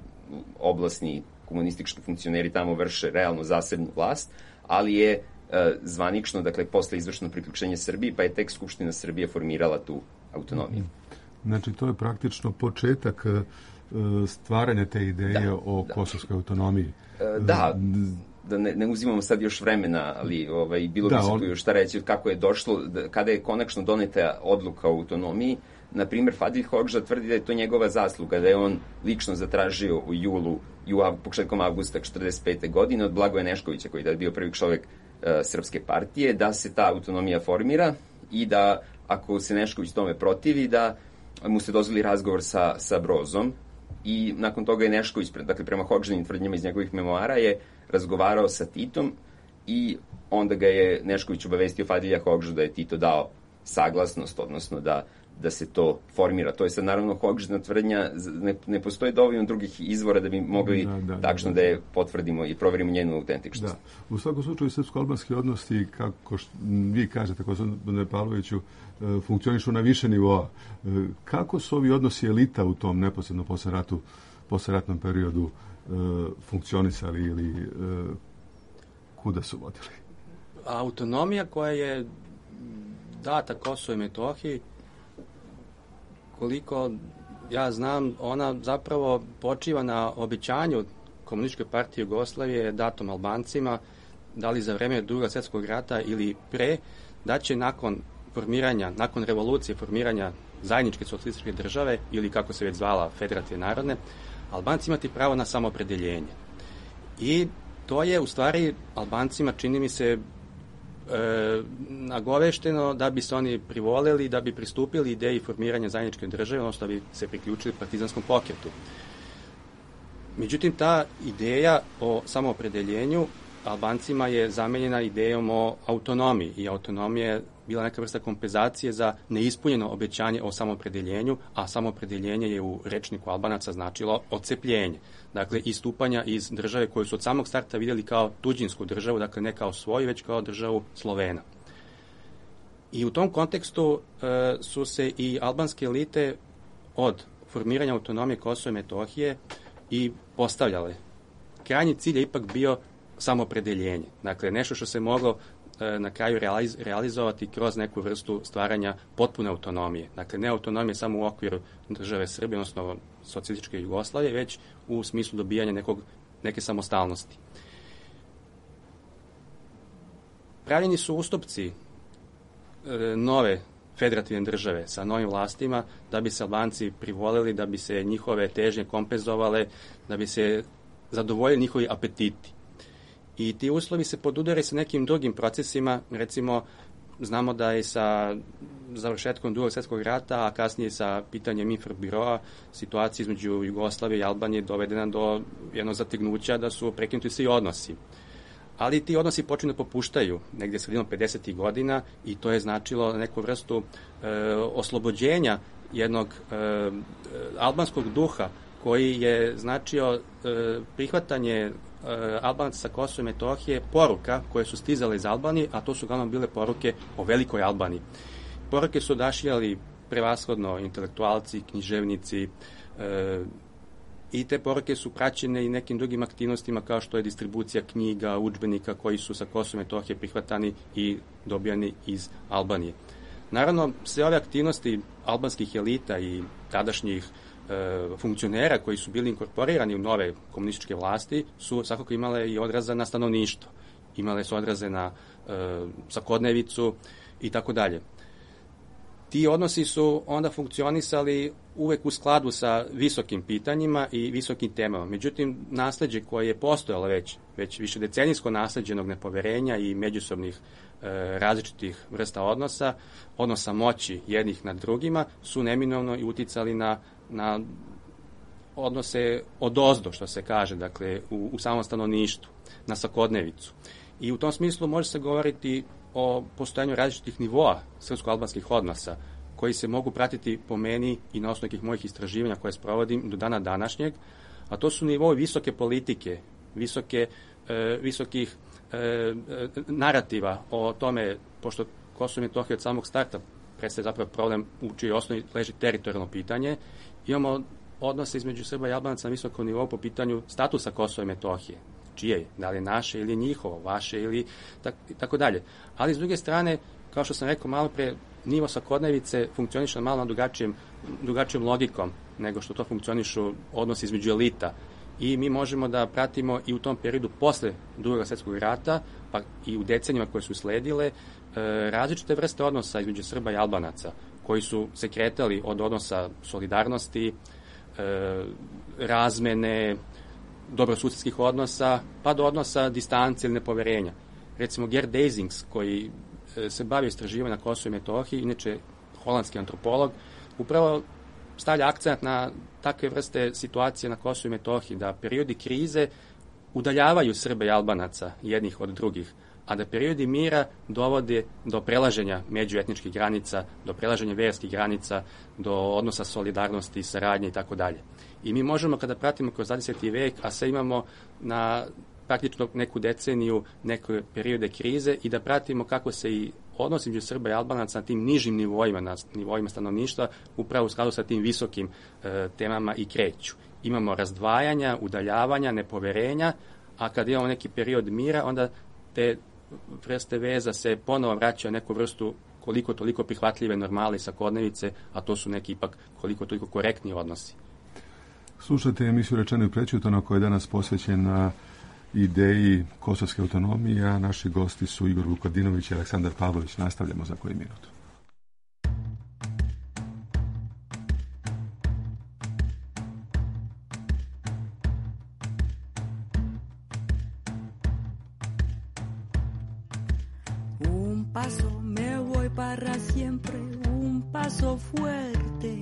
oblasni komunistički funkcioneri tamo vrše realno zasebnu vlast, ali je e, zvanično, dakle, posle izvršeno priključenje Srbiji, pa je tek Skupština Srbije formirala tu autonomiju. Znači, to je praktično početak e, stvaranja te ideje da, o da. kosovskoj autonomiji. E, da, da ne, ne uzimamo sad još vremena, ali ovaj, bilo da, bi se on... tu još šta reći kako je došlo, da, kada je konačno doneta odluka o autonomiji. Na primjer, Fadil Hodža tvrdi da je to njegova zasluga, da je on lično zatražio u julu i u početkom avgusta četrdeset pete godine od Blagoja Neškovića, koji je bio prvi čovjek uh, Srpske partije, da se ta autonomija formira i da, ako se Nešković tome protivi, da mu se dozvoli razgovor sa, sa Brozom. I nakon toga je Nešković, dakle prema Hodžinim tvrdnjama iz njegovih memoara, je razgovarao sa Titom i onda ga je Nešković obavestio Fadilja Hodžu da je Tito dao saglasnost, odnosno da da se to formira. To je sad naravno Hodžina tvrdnja, ne, ne postoji dovoljno drugih izvora da bi mogli da, da, tačno da, da. da je potvrdimo i proverimo njenu autentičnost. Da. U svakom slučaju srpsko-albanski odnosi, kako što vi kažete, gospodine Pavloviću, funkcionišu na više nivoa. Kako su ovi odnosi elita u tom neposredno posle ratu, posleratnom periodu funkcionisali ili kuda su vodili? Autonomija koja je data Kosovo i Metohiji, koliko ja znam, ona zapravo počiva na obećanju Komunističke partije Jugoslavije datom Albancima, da li za vreme Drugog svjetskog rata ili pre, da će nakon formiranja, nakon revolucije formiranja zajedničke socijalističke države, ili kako se već zvala Federacije narodne, Albanci imati pravo na samoopredeljenje. I to je u stvari Albancima, čini mi se, E, nagovešteno da bi se oni privoleli, da bi pristupili ideji formiranja zajedničke države, odnosno da bi se priključili partizanskom pokretu. Međutim, ta ideja o samoopredeljenju Albancima je zamenjena idejom o autonomiji i autonomija je bila neka vrsta kompenzacije za neispunjeno obećanje o samoopredeljenju, a samoopredeljenje je u rečniku Albanaca značilo odcepljenje. Dakle, istupanja iz države koju su od samog starta vidjeli kao tuđinsku državu, dakle ne kao svoju, već kao državu Slovena. I u tom kontekstu e, su se i albanske elite od formiranja autonomije Kosova i Metohije i postavljale. Krajnji cilj je ipak bio samopredeljenje. Dakle, nešto što se moglo e, na kraju realiz, realizovati kroz neku vrstu stvaranja potpune autonomije. Dakle, ne autonomije samo u okviru države Srbije, odnosno socijalističke Jugoslavije, već u smislu dobijanja nekog, neke samostalnosti. Pravljeni su ustupci e, nove federativne države sa novim vlastima da bi se Albanci privolili, da bi se njihove težnje kompenzovale, da bi se zadovoljili njihovi apetiti. I ti uslovi se podudaraju sa nekim drugim procesima, recimo znamo da je sa završetkom Drugog svjetskog rata, a kasnije sa pitanjem Infobiroa, situacija između Jugoslavije i Albanije dovedena do jednog zategnuća da su prekinuti svi odnosi. Ali ti odnosi počinju da popuštaju negdje sredinom pedesetih godina i to je značilo neku vrstu e, oslobođenja jednog e, albanskog duha koji je značio e, prihvatanje e, Albanaca sa Kosova i Metohije poruka koje su stizale iz Albanije, a to su uglavnom bile poruke o velikoj Albaniji. Poruke su odašiljali prevashodno intelektualci, književnici, e, i te poruke su praćene i nekim drugim aktivnostima kao što je distribucija knjiga, udžbenika koji su sa Kosova i Metohije prihvatani i dobijani iz Albanije. Naravno, sve ove aktivnosti albanskih elita i tadašnjih e, funkcionera koji su bili inkorporirani u nove komunističke vlasti su svakako imale i odraza na stanovništvo. Imale su odraze na e, svakodnevicu i tako dalje. Ti odnosi su onda funkcionisali uvek u skladu sa visokim pitanjima i visokim temama. Međutim, nasleđe koje je postojalo već, već više decenijsko nasleđenog nepoverenja i međusobnih e, različitih vrsta odnosa, odnosa moći jednih nad drugima, su neminovno i uticali na, na odnose odozdo, što se kaže, dakle, u, u samom stanovništvu, na svakodnevicu. I u tom smislu može se govoriti o postojanju različitih nivoa srpsko-albanskih odnosa, koji se mogu pratiti po meni i na osnovu nekih mojih istraživanja koje sprovodim do dana današnjeg, a to su nivoi visoke politike, visoke, e, visokih e, narativa o tome, pošto Kosovo i Metohija od samog starta predstavlja zapravo problem u čijoj osnovi leži teritorijalno pitanje, imamo odnose između Srba i Albanaca na visokom nivou po pitanju statusa Kosova i Metohije. Čije je? Da li je naše ili njihovo, vaše ili tak, tako dalje. Ali s druge strane, kao što sam rekao malo pre, nivo svakodnevice funkcioniše malo na drugačijem, drugačijom logikom nego što to funkcionišu odnosi između elita. I mi možemo da pratimo i u tom periodu posle Drugog svjetskog rata, pa i u decenijama koje su sledile, različite vrste odnosa između Srba i Albanaca, koji su se kretali od odnosa solidarnosti, razmene, dobrosusjedskih odnosa, pa do odnosa distancije ili nepoverenja. Recimo Gerd Deisings, koji se bavi istraživanjem na Kosovu i Metohiji, inače holandski antropolog, upravo stavlja akcent na takve vrste situacije na Kosovu i Metohiji, da periodi krize udaljavaju Srba i Albanaca jednih od drugih, a da periodi mira dovode do prelaženja međuetničkih granica, do prelaženja verskih granica, do odnosa solidarnosti, saradnje i tako dalje. I mi možemo, kada pratimo kroz dvadeseti vek, a sve imamo na praktično neku deceniju, neke periode krize, i da pratimo kako se i odnosi među Srba i Albanaca na tim nižim nivoima, na nivoima stanovništva, upravo u skladu sa tim visokim e, temama i kreću. Imamo razdvajanja, udaljavanja, nepoverenja, a kad imamo neki period mira, onda te vrste veza se ponovo vraćaju neku vrstu koliko toliko prihvatljive normale i svakodnevice, a to su neki ipak koliko toliko korektni odnosi. Slušajte emisiju Rečeno i prećutano, koja je danas posvećena ideji kosovske autonomije, a naši gosti su Igor Vukadinović i Aleksandar Pavlović. Nastavljamo za koji minut. Un paso me voy para siempre, un paso fuerte,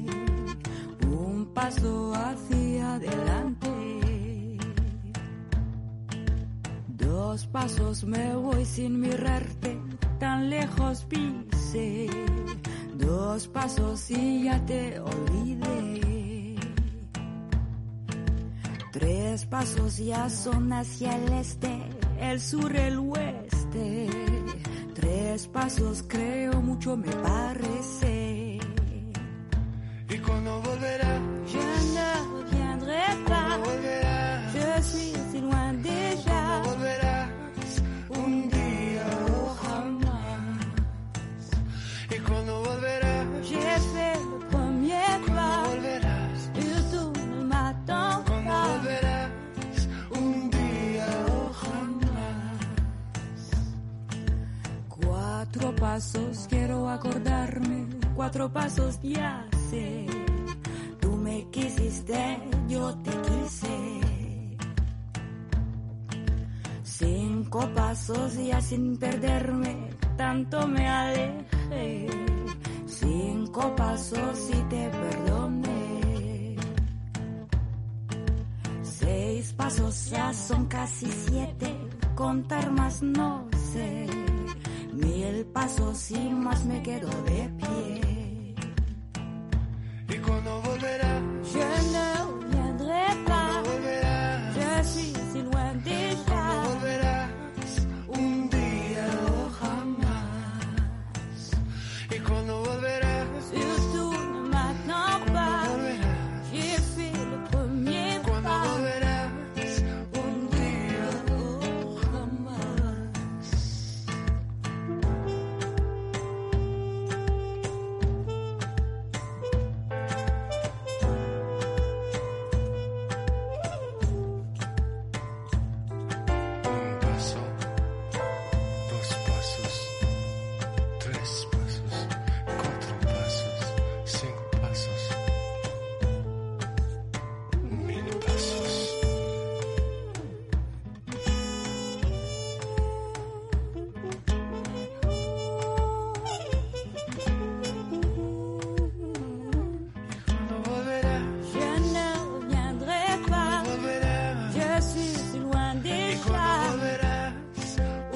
un paso hacia adelante. Dos pasos me voy sin mirarte, tan lejos pise. Dos pasos y ya te olvidé. Tres pasos ya son hacia el este, el sur, el oeste. Tres pasos creo mucho me parece. ¿Y cuando volverá? Ya quiero acordarme, cuatro pasos ya sé. Tú me quisiste, yo te quise. Cinco pasos ya sin perderme, tanto me alejé. Cinco pasos y te perdoné. Seis pasos ya son casi siete, contar más no sé. Mil pasos y más me quedo de pie. ¿Y cuándo volverás? Je ne reviendrai pas. Volverás. Je suis si loin déjà. Volverás un día o jamás. ¿Y cuándo volverás? Surtout ne maintenant pas. Volverás. J'ai fait le premier ¿Cuándo pas. volverás? Un día Oh, jamás. Un paso, dos pasos, tres pasos, cuatro pasos, cinco pasos, mil pasos. ¿Cuándo volverás? Je ne reviendrai pas. Volverás. Je suis si loin ¿Y déjà. cuándo volverás?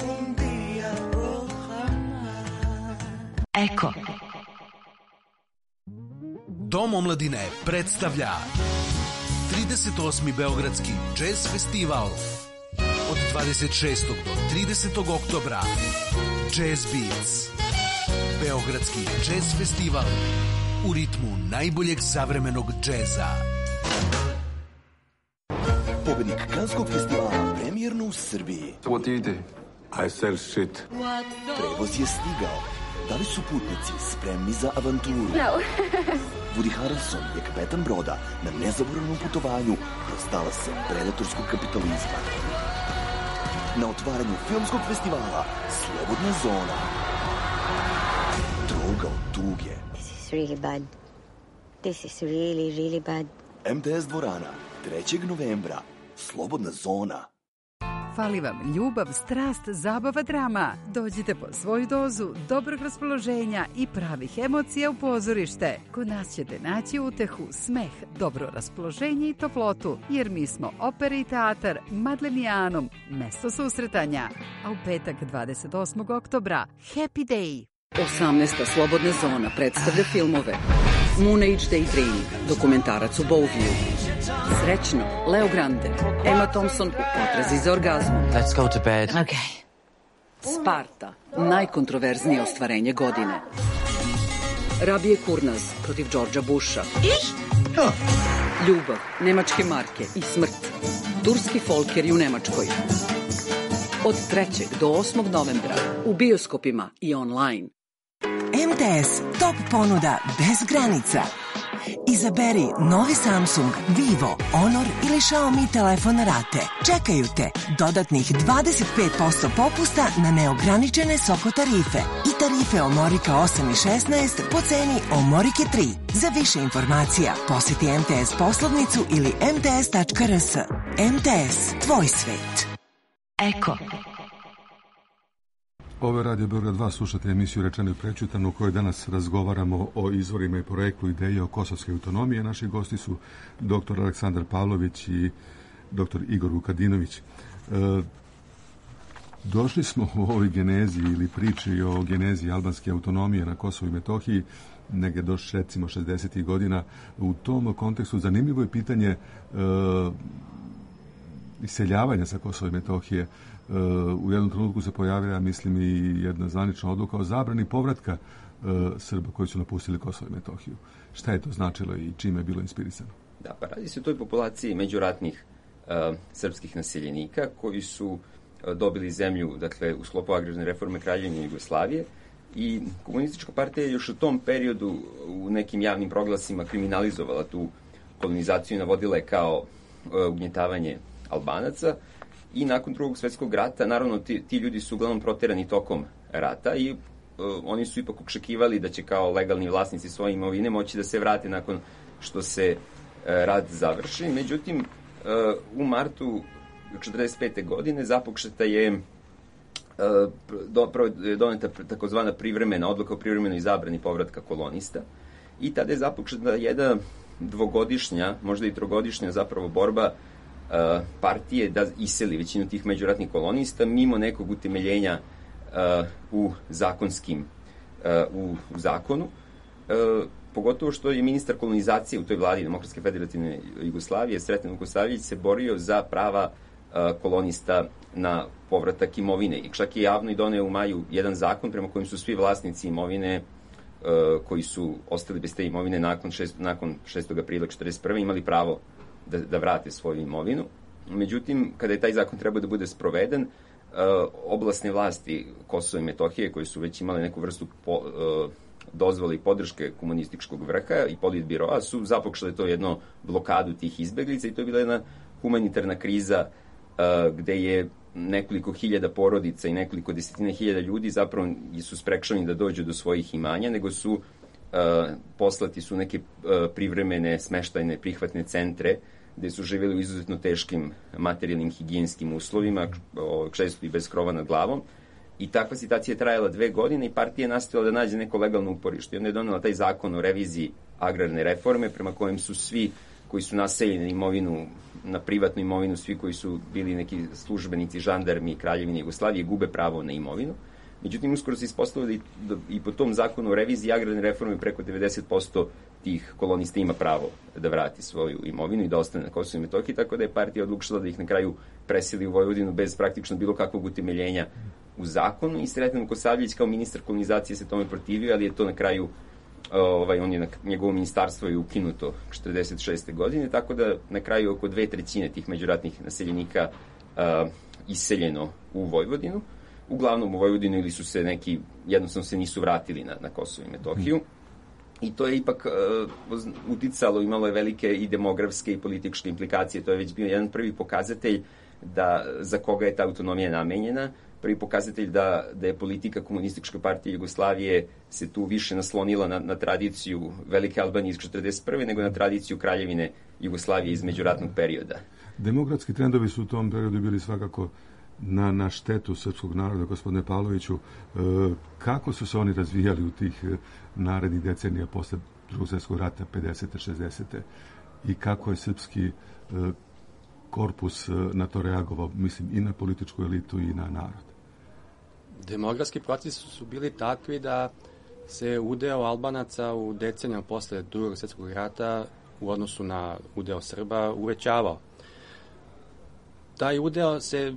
Un día o jamás. Eko. Dom omladine predstavlja trideset osmi Beogradski jazz festival od dvadeset šestog do tridesetog oktobra. Jazz Beats. Beogradski jazz festival u ritmu najboljeg savremenog džeza. Pobednik Kanskog festivala premijerno u Srbiji. What do you do? I sell shit. Prevoz je stigao. Da li su putnici spremni za avanturu? No. Woody Harrelson je kapetan broda na nezaboravnom putovanju kroz talase predatorskog kapitalizma. Na otvaranju filmskog festivala Slobodna zona. Droga od tuge. This is really bad. This is really, really bad. M T S dvorana, trećeg novembra. Slobodna zona. Fali vam ljubav, strast, zabava, drama. Dođite po svoju dozu dobrog raspoloženja i pravih emocija u pozorište. Kod nas ćete naći utehu, smeh, dobro raspoloženje i toplotu, jer mi smo opera i teatar Madlenijanom, mesto susretanja. A u petak dvadeset osmog oktobra, Happy Day. osamnaesta Slobodna zona predstavlja filmove Moon Age Daydream, dokumentarac u Bowview, Srećno, Leo Grande, Emma Thompson u potrazi za orgazmom. Let's go to bed. Okay. Sparta, najkontroverznije ostvarenje godine. Rabije Kurnaz protiv Đorđa Busha. Ljubav, nemačke marke i smrt. Turski folkeri u Nemačkoj. Od trećeg do osmog novembra u bioskopima i online. M T S top ponuda bez granica. Izaberi novi Samsung, Vivo, Honor ili Xiaomi telefon na rate. Čekaju te dodatnih dvadeset pet posto popusta na neograničene Soko tarife i tarife Omorika osam i šesnaest po ceni Omorike tri. Za više informacija posjeti M T S poslovnicu ili em te es tačka er es. M T S, tvoj svet. Eko. Ovo je Radio Beograd dva, slušate emisiju Rečeno i prećutano u kojoj danas razgovaramo o izvorima i projektu ideje o kosovske autonomije. Naši gosti su doktor Aleksandar Pavlović i doktor Igor Vukadinović. E, došli smo u ovoj genezi ili priči o genezi albanske autonomije na Kosovu i Metohiji, negdje do recimo šezdesetih godina. U tom kontekstu zanimljivo je pitanje e, iseljavanja sa Kosova i Metohije. U jednom trenutku se pojavila, mislim, i jedna zvanična odluka o zabrani povratka uh, Srba koji su napustili Kosovo i Metohiju. Šta je to značilo i čime je bilo inspirisano? Da, pa radi se o toj populaciji međuratnih uh, srpskih naseljenika koji su uh, dobili zemlju, dakle, u sklopu agrarne reforme Kraljevine Jugoslavije, i komunistička partija je još u tom periodu u nekim javnim proglasima kriminalizovala tu kolonizaciju i navodila je kao uh, ugnjetavanje Albanaca. I nakon Drugog svjetskog rata, naravno, ti, ti ljudi su uglavnom proterani tokom rata i oni su ipak očekivali da će kao legalni vlasnici svoje imovine moći da se vrate nakon što se rad završi. Međutim, u martu četrdeset pete. godine započeta je doneta takozvana privremena odluka o privremenoj zabrani povratka kolonista i tada je započeta jedna dvogodišnja, možda i trogodišnja zapravo borba partije da iseli većinu tih međuratnih kolonista mimo nekog utemeljenja u zakonskim u zakonu, pogotovo što je ministar kolonizacije u toj vladi Demokratske federativne Jugoslavije, Sreten Vukosavljević, se borio za prava kolonista na povratak imovine. I čak je javno i doneo u maju jedan zakon prema kojem su svi vlasnici imovine koji su ostali bez te imovine nakon, šest, nakon šestog aprila četrdeset prve. imali pravo da, da vrate svoju imovinu. Međutim, kada je taj zakon trebao da bude sproveden, oblasne vlasti Kosova i Metohije, koje su već imale neku vrstu po, dozvole i podrške komunističkog vrha i politbiroa, su započele to jedno blokadu tih izbeglica i to je bila jedna humanitarna kriza gde je nekoliko hiljada porodica i nekoliko desetine hiljada ljudi zapravo su sprečeni da dođu do svojih imanja, nego su uh, poslati su neke uh, privremene smeštajne prihvatne centre gde su živjeli u izuzetno teškim materijalnim higijenskim uslovima, često i bez krova nad glavom. I takva situacija je trajala dve godine i partija je nastavila da nađe neko legalno uporište. I onda je donela taj zakon o reviziji agrarne reforme prema kojem su svi koji su naseljeni na imovinu, na privatnu imovinu, svi koji su bili neki službenici, žandarmi Kraljevine Jugoslavije, gube pravo na imovinu. Međutim, uskoro se ispostavilo da i, i po tom zakonu o reviziji agrarne reforme preko devedeset posto tih kolonista ima pravo da vrati svoju imovinu i da ostane na Kosovu i Metohiji, tako da je partija odlučila da ih na kraju preseli u Vojvodinu bez praktično bilo kakvog utemeljenja u zakonu i Sreten Vukosavljević kao ministar kolonizacije se tome protivio, ali je to na kraju Ovaj, on je na njegovo ministarstvo je ukinuto četrdeset šeste. godine, tako da na kraju oko dve trećine tih međuratnih naseljenika uh, iseljeno u Vojvodinu. Uglavnom u Vojvodinu ili su se neki, jednostavno se nisu vratili na, na Kosovo i Metohiju. I to je ipak uh, uticalo, imalo je velike i demografske i političke implikacije. To je već bio jedan prvi pokazatelj da, za koga je ta autonomija namenjena. Prvi pokazatelj da, da je politika Komunističke partije Jugoslavije se tu više naslonila na, na tradiciju Velike Albanije iz četrdeset prve nego na tradiciju Kraljevine Jugoslavije iz međuratnog perioda. Demokratski trendovi su u tom periodu bili svakako na, na štetu srpskog naroda, gospodine Pavloviću. E, kako su se oni razvijali u tih narednih decenija posle Drugog svjetskog rata, pedesete. šezdesete. i kako je srpski e, korpus na to reagovao, mislim, i na političku elitu i na narod? Demografski procesi su bili takvi da se udeo Albanaca u decenijama posle Drugog svjetskog rata u odnosu na udeo Srba uvećavao. Taj udeo se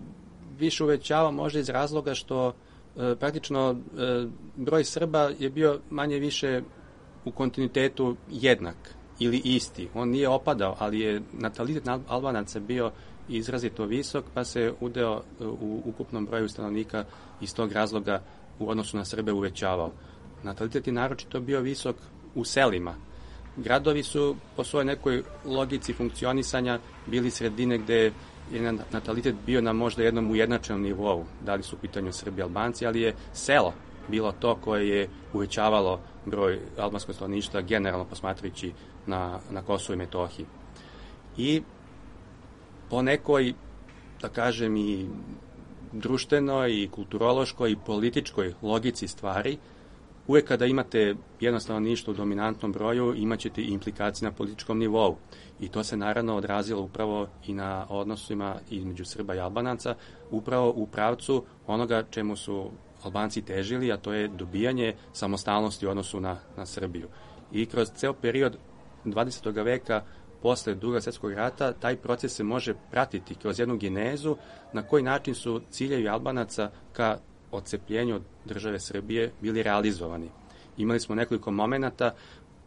više uvećava možda iz razloga što e, praktično e, broj Srba je bio manje više u kontinuitetu jednak ili isti. On nije opadao, ali je natalitet Albanaca bio izrazito visok, pa se udeo u ukupnom broju stanovnika iz tog razloga u odnosu na Srbe uvećavao. Natalitet je naročito bio visok u selima. Gradovi su po svojoj nekoj logici funkcionisanja bili sredine gde je natalitet bio na možda jednom ujednačenom nivou, da li su u pitanju Srbi i Albanci, ali je selo bilo to koje je uvećavalo broj albanskog stanovništva generalno posmatrajući na, na Kosovu i Metohiji. I po nekoj, da kažem, i društvenoj, i kulturološkoj, i političkoj logici stvari, uvek kada imate jedno stanovništvo u dominantnom broju, imat ćete i implikacije na političkom nivou. I to se naravno odrazilo upravo i na odnosima između Srba i Albanaca, upravo u pravcu onoga čemu su Albanci težili, a to je dobijanje samostalnosti u odnosu na, na Srbiju. I kroz ceo period dvadesetog veka posle Drugog svjetskog rata taj proces se može pratiti kroz jednu genezu na koji način su ciljevi Albanaca ka odcepljenju od države Srbije bili realizovani. Imali smo nekoliko momenata.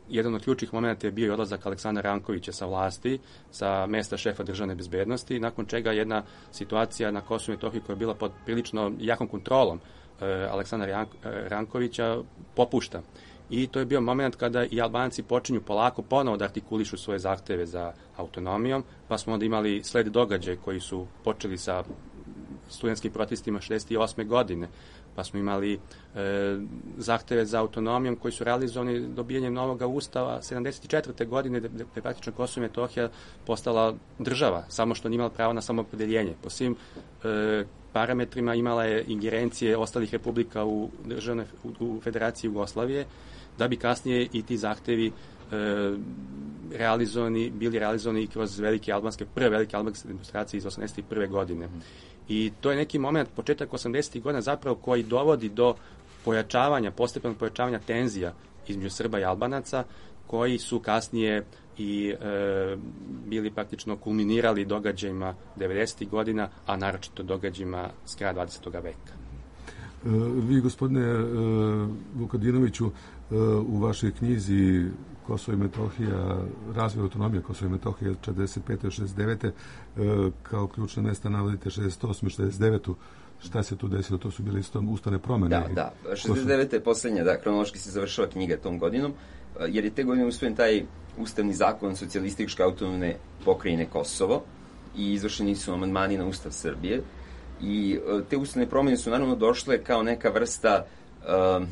Jedan od ključnih momenata je bio i odlazak Aleksandra Rankovića sa vlasti, sa mesta šefa državne bezbednosti, nakon čega jedna situacija na Kosovu i Metohiji koja je bila pod prilično jakom kontrolom eh, Aleksandra Rankovića popušta. I to je bio moment kada i Albanci počinju polako ponovo da artikulišu svoje zahteve za autonomijom, pa smo onda imali sled događaja koji su počeli sa studentskim protestima šezdeset osme. godine, pa smo imali e, zahteve za autonomijom koji su realizovani dobijanjem novog ustava sedamdeset četvrte godine, gde je praktično Kosovo i Metohija postala država, samo što nije imala pravo na samoopredeljenje. Po svim e, parametrima imala je ingerencije ostalih republika u, državne, u, u Federaciji Jugoslavije, da bi kasnije i ti zahtevi e, realizovani, bili realizovani kroz velike albanske, prve velike albanske demonstracije iz osamdeset prve godine. I to je neki moment, početak osamdesetih godina zapravo, koji dovodi do pojačavanja, postepenog pojačavanja tenzija između Srba i Albanaca, koji su kasnije i e, bili praktično kulminirali događajima devedesetih godina, a naročito događajima s kraja dvadesetog veka. E, vi, gospodine e, Vukadinoviću, e, u vašoj knjizi Kosovo i Metohija, razvoj autonomije Kosovo i Metohije četrdeset pete do šezdeset devete kao ključna mesta navodite šezdeset osme šezdeset devetu Šta se tu desilo? To su bile isto ustavne promene. Da, da. šezdeset deveta je poslednja, da, kronološki se završava knjiga tom godinom, jer je te godine usvojen taj ustavni zakon socijalističke autonomne pokrajine Kosovo i izvršeni su amandmani na Ustav Srbije. I te ustavne promene su naravno došle kao neka vrsta uh,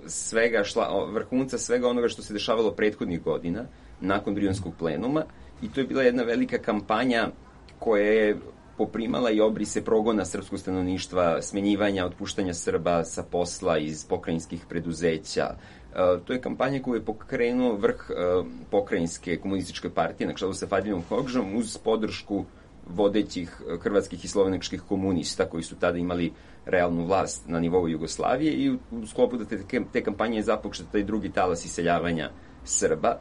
svega, šla, vrhunca svega onoga što se dešavalo prethodnih godina, nakon Brionskog plenuma, i to je bila jedna velika kampanja koja je poprimala i obrise progona srpskog stanovništva, smenjivanja, otpuštanja Srba sa posla iz pokrajinskih preduzeća. Uh, to je kampanja koju je pokrenuo vrh uh, pokrajinske komunističke partije na čelu sa Fadilom Hodžom uz podršku vodećih hrvatskih i slovenačkih komunista koji su tada imali realnu vlast na nivou Jugoslavije, i u, u sklopu da te, te kampanje je započeo taj drugi talas iseljavanja Srba.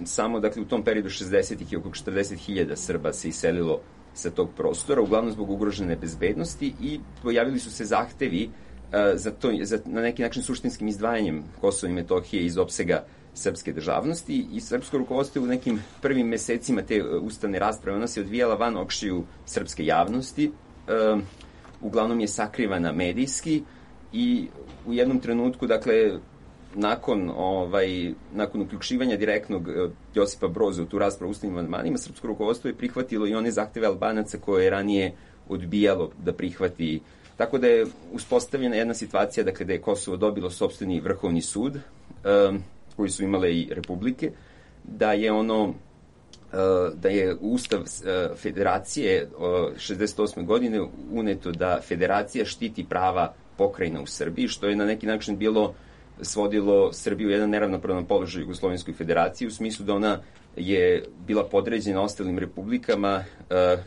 Samo, dakle, u tom periodu šezdesetih i oko četrdeset hiljada Srba se iselilo sa tog prostora, uglavnom zbog ugrožene bezbednosti, i pojavili su se zahtevi uh, za to, za, na neki način suštinskim izdvajanjem Kosova i Metohije iz opsega srpske državnosti, i srpsko rukovodstvo u nekim prvim mesecima te ustavne rasprave, ona se odvijala van očiju srpske javnosti, uh, uglavnom je sakrivana medijski, i u jednom trenutku, dakle, nakon, ovaj, nakon uključivanja direktnog uh, Josipa Broza u tu raspravu ustavnim amandmanima, srpsko rukovodstvo je prihvatilo i one zahteve Albanaca koje je ranije odbijalo da prihvati. Tako da je uspostavljena jedna situacija, dakle, da je Kosovo dobilo sopstveni vrhovni sud, uh, koji su imale i republike, da je ono da je u Ustav Federacije šezdeset osme godine uneto da Federacija štiti prava pokrajina u Srbiji, što je na neki način bilo svodilo Srbiju u jedan neravnopravan položaj Jugoslovenskoj federaciji, u smislu da ona je bila podređena ostalim republikama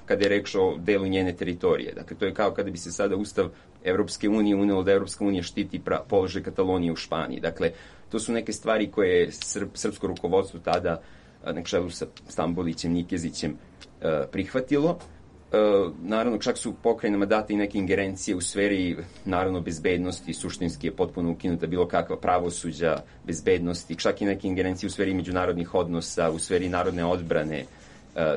kada je reč o delu njene teritorije. Dakle, to je kao kada bi se sada Ustav Evropske unije unelo da Evropska unija štiti položaj Katalonije u Španiji. Dakle, to su neke stvari koje je srp, srpsko rukovodstvo tada na čelu sa Stambolićem, Nikezićem prihvatilo. Naravno, čak su pokrajinama date i neke ingerencije u sferi, naravno, bezbednosti, suštinski je potpuno ukinuta bilo kakva pravosuđa, bezbednosti, čak i neke ingerencije u sferi međunarodnih odnosa, u sferi narodne odbrane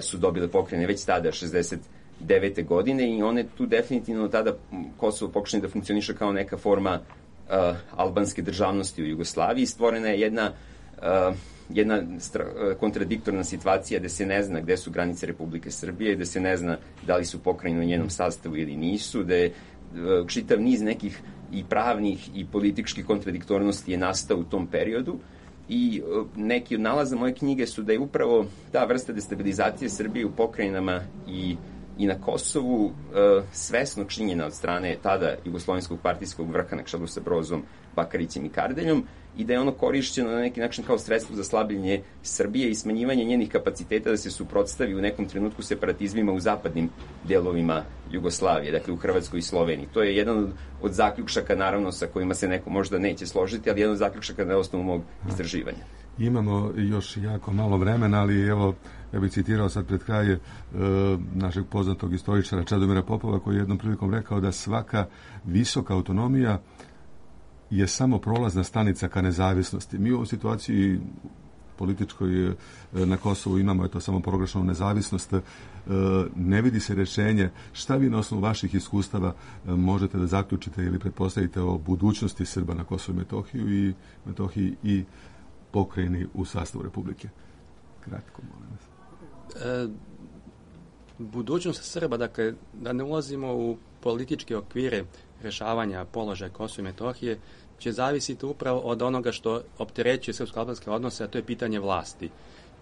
su dobile pokrajine već tada, šezdeset devete godine, i one tu definitivno tada Kosovo pokušanje da funkcioniše kao neka forma uh, albanske državnosti u Jugoslaviji. Stvorena je jedna uh, jedna stra- kontradiktorna situacija gde se ne zna gde su granice Republike Srbije, gde se ne zna da li su pokrajine u njenom sastavu ili nisu, gde je uh, čitav niz nekih i pravnih i političkih kontradiktornosti je nastao u tom periodu, i uh, neki od nalaza moje knjige su da je upravo ta vrsta destabilizacije Srbije u pokrajinama i i na Kosovu uh, svesno činjena od strane tada jugoslovenskog partijskog vrha na čelu sa Brozom, Bakarićem i Kardeljom, i da je ono korišćeno na neki način kao sredstvo za slabljenje Srbije i smanjivanje njenih kapaciteta da se suprotstavi u nekom trenutku separatizmima u zapadnim delovima Jugoslavije, dakle u Hrvatskoj i Sloveniji. To je jedan od, od zaključaka, naravno, sa kojima se neko možda neće složiti, ali jedan od zaključaka na osnovu mog istraživanja. Imamo još jako malo vremena, ali evo, ja bih citirao sad pred kraj e, našeg poznatog istoričara Čedomira Popova, koji je jednom prilikom rekao da svaka visoka autonomija je samo prolazna stanica ka nezavisnosti. Mi u ovoj situaciji političkoj na Kosovu imamo eto samo proglašenu nezavisnost, e, ne vidi se rješenje. Šta vi na osnovu vaših iskustava e, možete da zaključite ili pretpostavite o budućnosti Srba na Kosovu i Metohiju i Metohiji i pokrajini u sastavu Republike? Kratko, molim vas. E, budućnost Srba, dakle, da ne ulazimo u političke okvire rješavanja položaja Kosova i Metohije će zavisiti upravo od onoga što opterećuje srpsko-albanske odnose, a to je pitanje vlasti.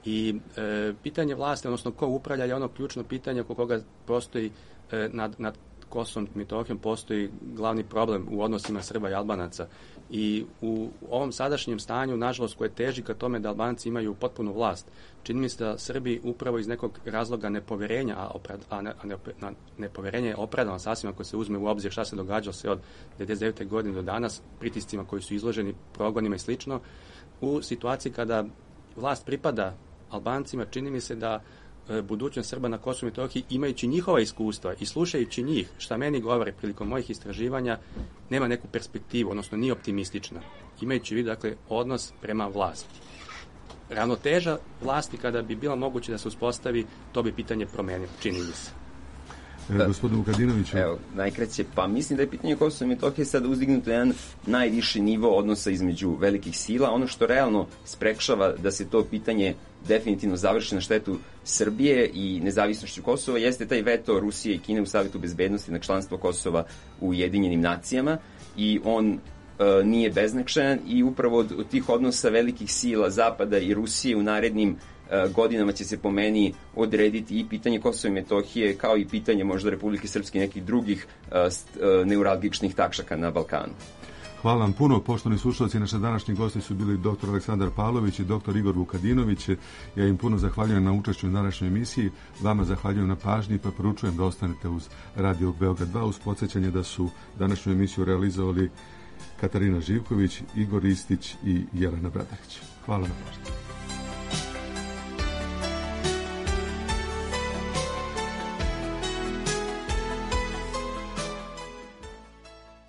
I e, pitanje vlasti, odnosno ko upravlja, je ono ključno pitanje oko koga postoji e, nad, nad Kosovom i Metohijom postoji glavni problem u odnosima Srba i Albanaca. I u ovom sadašnjem stanju, nažalost, koje teži ka tome da Albanci imaju potpunu vlast, čini mi se da Srbi upravo iz nekog razloga nepoverenja, a, oprad, a, ne, a ne, na, nepoverenje je opravdano sasvim ako se uzme u obzir šta se događalo se od devedeset devete godine do danas, pritiscima koji su izloženi, progonima i slično, u situaciji kada vlast pripada Albancima, čini mi se da e, budućnost Srba na Kosovu i Metohiji, imajući njihova iskustva i slušajući njih, šta meni govore prilikom mojih istraživanja, nema neku perspektivu, odnosno nije optimistična. Imajući vid, dakle, odnos prema vlasti. Ravnoteža vlasti, kada bi bilo moguće da se uspostavi, to bi pitanje promenilo, čini mi se. E, gospodin Vukadinović. Evo, najkraće, pa mislim da je pitanje Kosova i Metohije sad uzdignuto jedan najviši nivo odnosa između velikih sila. Ono što realno sprečava da se to pitanje definitivno završi na štetu Srbije i nezavisnošću Kosova jeste taj veto Rusije i Kine u Savetu bezbednosti na članstvo Kosova u Ujedinjenim nacijama i on e, nije beznačajan i upravo od, od tih odnosa velikih sila Zapada i Rusije u narednim godinama će se po meni odrediti i pitanje Kosova i Metohije, kao i pitanje možda Republike Srpske i nekih drugih uh, neuralgičnih tačaka na Balkanu. Hvala vam puno, poštovani slušalci. Naše današnji gosti su bili doktor Aleksandar Pavlović i doktor Igor Vukadinović. Ja im puno zahvaljujem na učešću u današnjoj emisiji. Vama zahvaljujem na pažnji, pa poručujem da ostanete uz Radio Beograd dva, uz podsjećanje da su današnju emisiju realizovali Katarina Živković, Igor Istić i Jelena Bradarić. Hvala na pažnji.